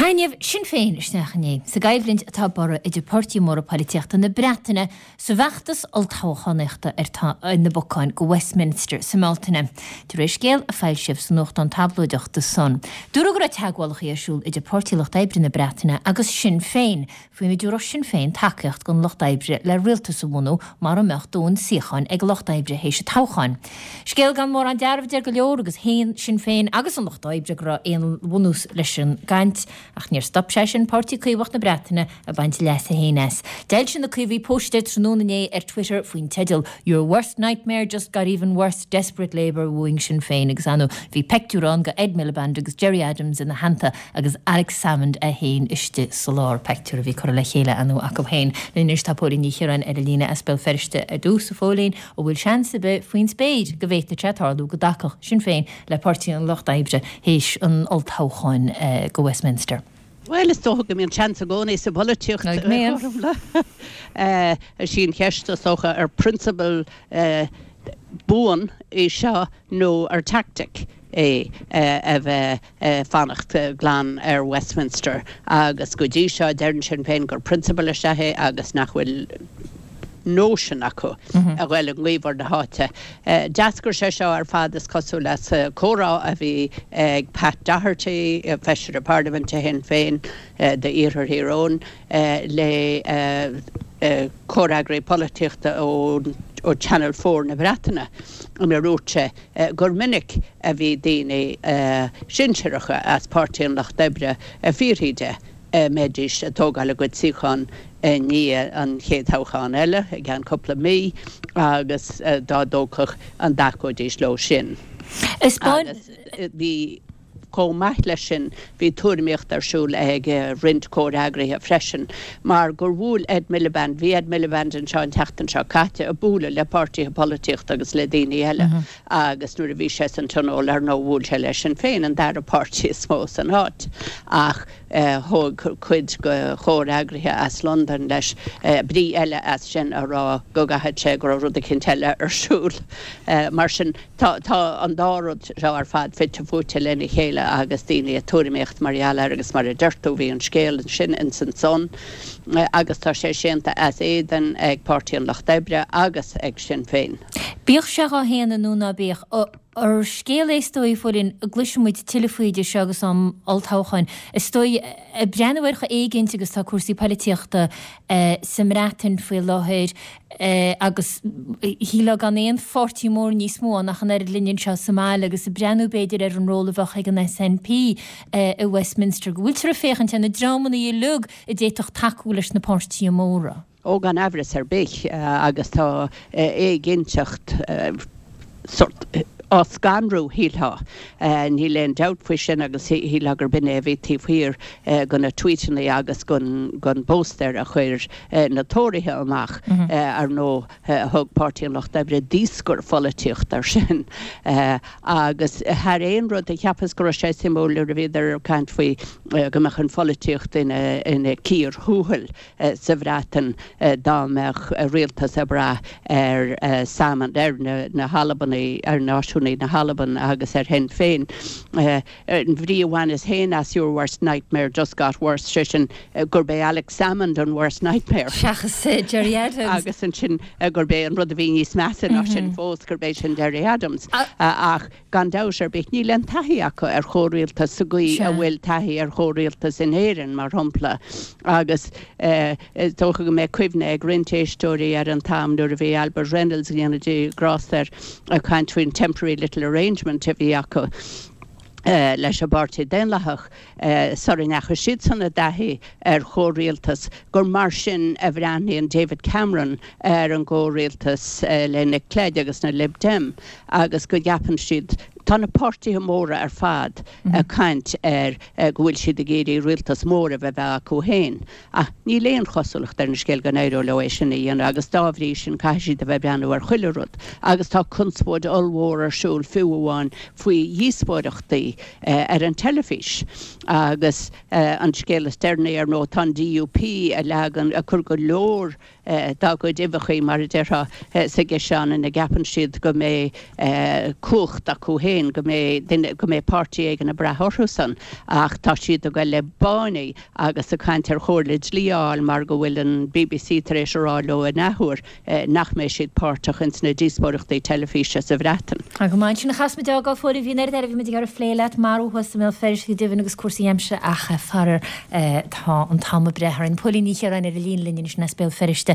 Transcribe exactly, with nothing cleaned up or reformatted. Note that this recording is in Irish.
Taitneamh Sinn Féin isteach inné sa gcoimhlint atá borradh idir páirtithe móra polaitíochta na Breataine sa bhfeachtas olltoghchánaíochta ar na bacáin go Westminster sa mBealtaine. De réir scéal a foilsíodh sa nuachtán tablóideach The Sun. Dúradh go raibh teagmhálacha ar siúl idir Páirtí Lucht Oibre na Breataine agus Sinn Féin faoina dtabharfadh Sinn Féin tacaíocht don Lucht Oibre le rialtas a bhunú mura mbeadh dóthain suíochán ag Lucht Oibre théis an toghcháin. Scéal gan mórán dearbh deir go leor agus shéan Sinn Féin agus an Lucht Oibre go raibh aon bhunús leis an gcaint ach níor stop sé sin Páirtí Caomhach na Breataine ag baint leasa féin as. D'fhoilsigh na Caomhaigh póstaer tráthnóna inné ar Twitter faoin teideal Your worst nightmare just got even worse desperate Labour wooing Sinn Féin agus ann bhí pictiúr ann de Ed Miliband agus Gerry Adams ina theannta agus Alex Salmond é féin istigh sa lár pictiúr a bhí curtha le chéile ann acu féin. Anois tá Póilín Ní Chiaráin ar an líne as Béal Feirste ar dtús a Phóilín an bhfuil seans ar bith faoin spéir go bhféadfadh sé tarlú go dtacódh Sinn Féin le Páirtí an Lucht Oibre théis an olltoghcháin eh, go Westminster. Well is dócha go mbíonn seans i gcónaí sa bpolaitíocht sí an cheist is dócha ar prionsabal buan é seo nó ar tactic é a bheith fanacht glan ar Westminster agus go dtí seo deireann Sinn Féin gur prionsabal is ea é agus nach bhfuil nóisean acu a ghabháil i ngaobhar na háite. D'eascair sé seo ar fad is cosúil le comhrá a bhí ag Pat Doherty, feisire Parlaiminte Shinn Féin d'Iarthar Thír Eoghain le comhfhreagraí polaitíochta ó ó Channel Four na Breataine ina ndúirt sé gur minic a bhí daoine sinsearacha as Páirtí an Lucht Oibre ag fiafraí de mbeidís ag tógáil a gcuid suíochán i ndiaidh an chéad toghchán eile i gceann cúpla mí agus dá dtógfadh an dtacóidís leo sin. Bhí chomh maith leis sin bhí tuairimíocht ar siúl ag roinnt comhfhreagraithe freisin, mar gur bhuail Ed Miliband, bhí Ed Miliband anseo an tseachtain seo caite ag bualadh le páirtithe polaitíochta agus le daoine eile agus nuair a bhí sé san tionól ar ndóigh bhuail sé leis Sinn Féin an dara páirtí is mó san áit ach thóg cuid de chomhfhreagraithe as Londain leis brí eile as sin a rá go gcaithfidh sé go raibh rud éicint eile ar siúl. Mar sin tá tá an dá rud seo ar fad fite fuaite lena chéile agus daoine ag tuairimíocht mar gheall air agus mar a deir tú bhí an scéal sin in san Sun agus tá sé séanta as éadan ag Páirtí an Lucht Oibre agus ag Sinn Féin. Bíodh sé á shéanadh nó ná bíodh ar scéal é is dóigh a Phóilín gcloisfidh muid tuilleadh faoi seo agus am olltoghcháin. Is dóigh ag breathnú ar chomh éiginnte agus tá cúrsaí polaitíochta sa mBreatain faoi láthair agus shílfeá gan aon pháirtí mór níos mó ann ach an oiread linn anseo sa mbaile agus ag breathnú b'fhéidir ar an ról a bheadh ag an SNP i Westminster, go bhfuiltear ag féachaint ar na dreamanna uilig a d'fhéadfadh tacú leis na páirtithe móra. Ó gan amhras ar bith agus tá éiginnteacht sort á scanrú shílfeá. Níl aon dabht faoi sin agus shílfeá gurb in é a bhí taobh thiar de na tweetanna agus den bpóstaer a chuir na Tóraithe amach ar ndóigh thug Páirtí an Lucht Oibre daoscar pholaitíocht air sin. Agus thar aon rud a cheapas go raibh sé suimiúil nuair a bhíodar ag caint faoi go mbeadh an pholaitíocht ina ina cíor thuathail sa Bhreatain dá mbeadh rialtas ag brath ar Salmond ar na na hAlbanaigh ar náisiúnaigh na hAlban agus ar Shinn Féin. An bhrí a bhaineas féin as your worst nightmare just got worse sé sin gurb é Alex Salmond an worst nightmare. Seachas Gerry Adams. Agus ansin gurb é an rud a bhí níos measa ná sin fós gurb é sin Gerry Adams. Ach gan dabht ar bith níl aon taithí acu ar chomhrialtas sa gcaoi a bhfuil taithí ar chomhrialtas in Éirinn mar shampla agus is dócha go mbeidh cuimhne ag roinnt éisteoirí ar an t-am nuair a bhí Albert Reynolds dhéanamh de grásta ag caint faoin temporary little arrangement a bhí acu. Uh, leis an bPáirtí Daonlathach uh, sara ndeachaigh siadsan i dtaithí ar chomhrialtas gur mar sin a bhreathnaíonn David Cameron ar an gcomhrialtas uh, le Nick Clegg agus na Lib Dem agus go gceapann siad tá na páirtithe móra ar fad mm -hmm. ag caint ar go bhfuil siad ag iarraidh rialtas mór a bheith acu féin. Ach níl aon chosúlacht ar an scéal go n-éireoidh leo é sin a dhéanamh agus dá bhrí sin caithfidh siad a bheith breathnú ar chuile rud, agus tá conspóid ollmhór ar siúl fiú amháin faoi dhíospóireachtaí ar an teilifís. Agus an scéal is deireanaí ar ndóigh tá an DUP a leagan ag cur go leor dá gcuid uibheachaí, mar a déarfá, sa gciseán ina gceapann siad go mbeidh cumhacht acu féin, go mbeidh duine, go mbeidh páirtí éigin ag brath orthusan. Ach tá siad ag goil le báiní agus ag caint ar chomhairle dlí a fháil mar go bhfuil an bbc tar éis a rá leo in athuair nach mbeidh siad páirteach ins na díospóireachtaí teilifíse sa Bhreatain. Tá go maith ansin a chas muid a fhágáil Phóilín, bhí an oiread eile a bhí muid ag iarraidh a phlé leat, marú thuas i mBéal Feirste go deimhin agus cúrsaí aimsire ach faraor tá an t-am ag breith orainn. Póilín Ní Chiaráin ar an líne linn anois as Béal Feirste.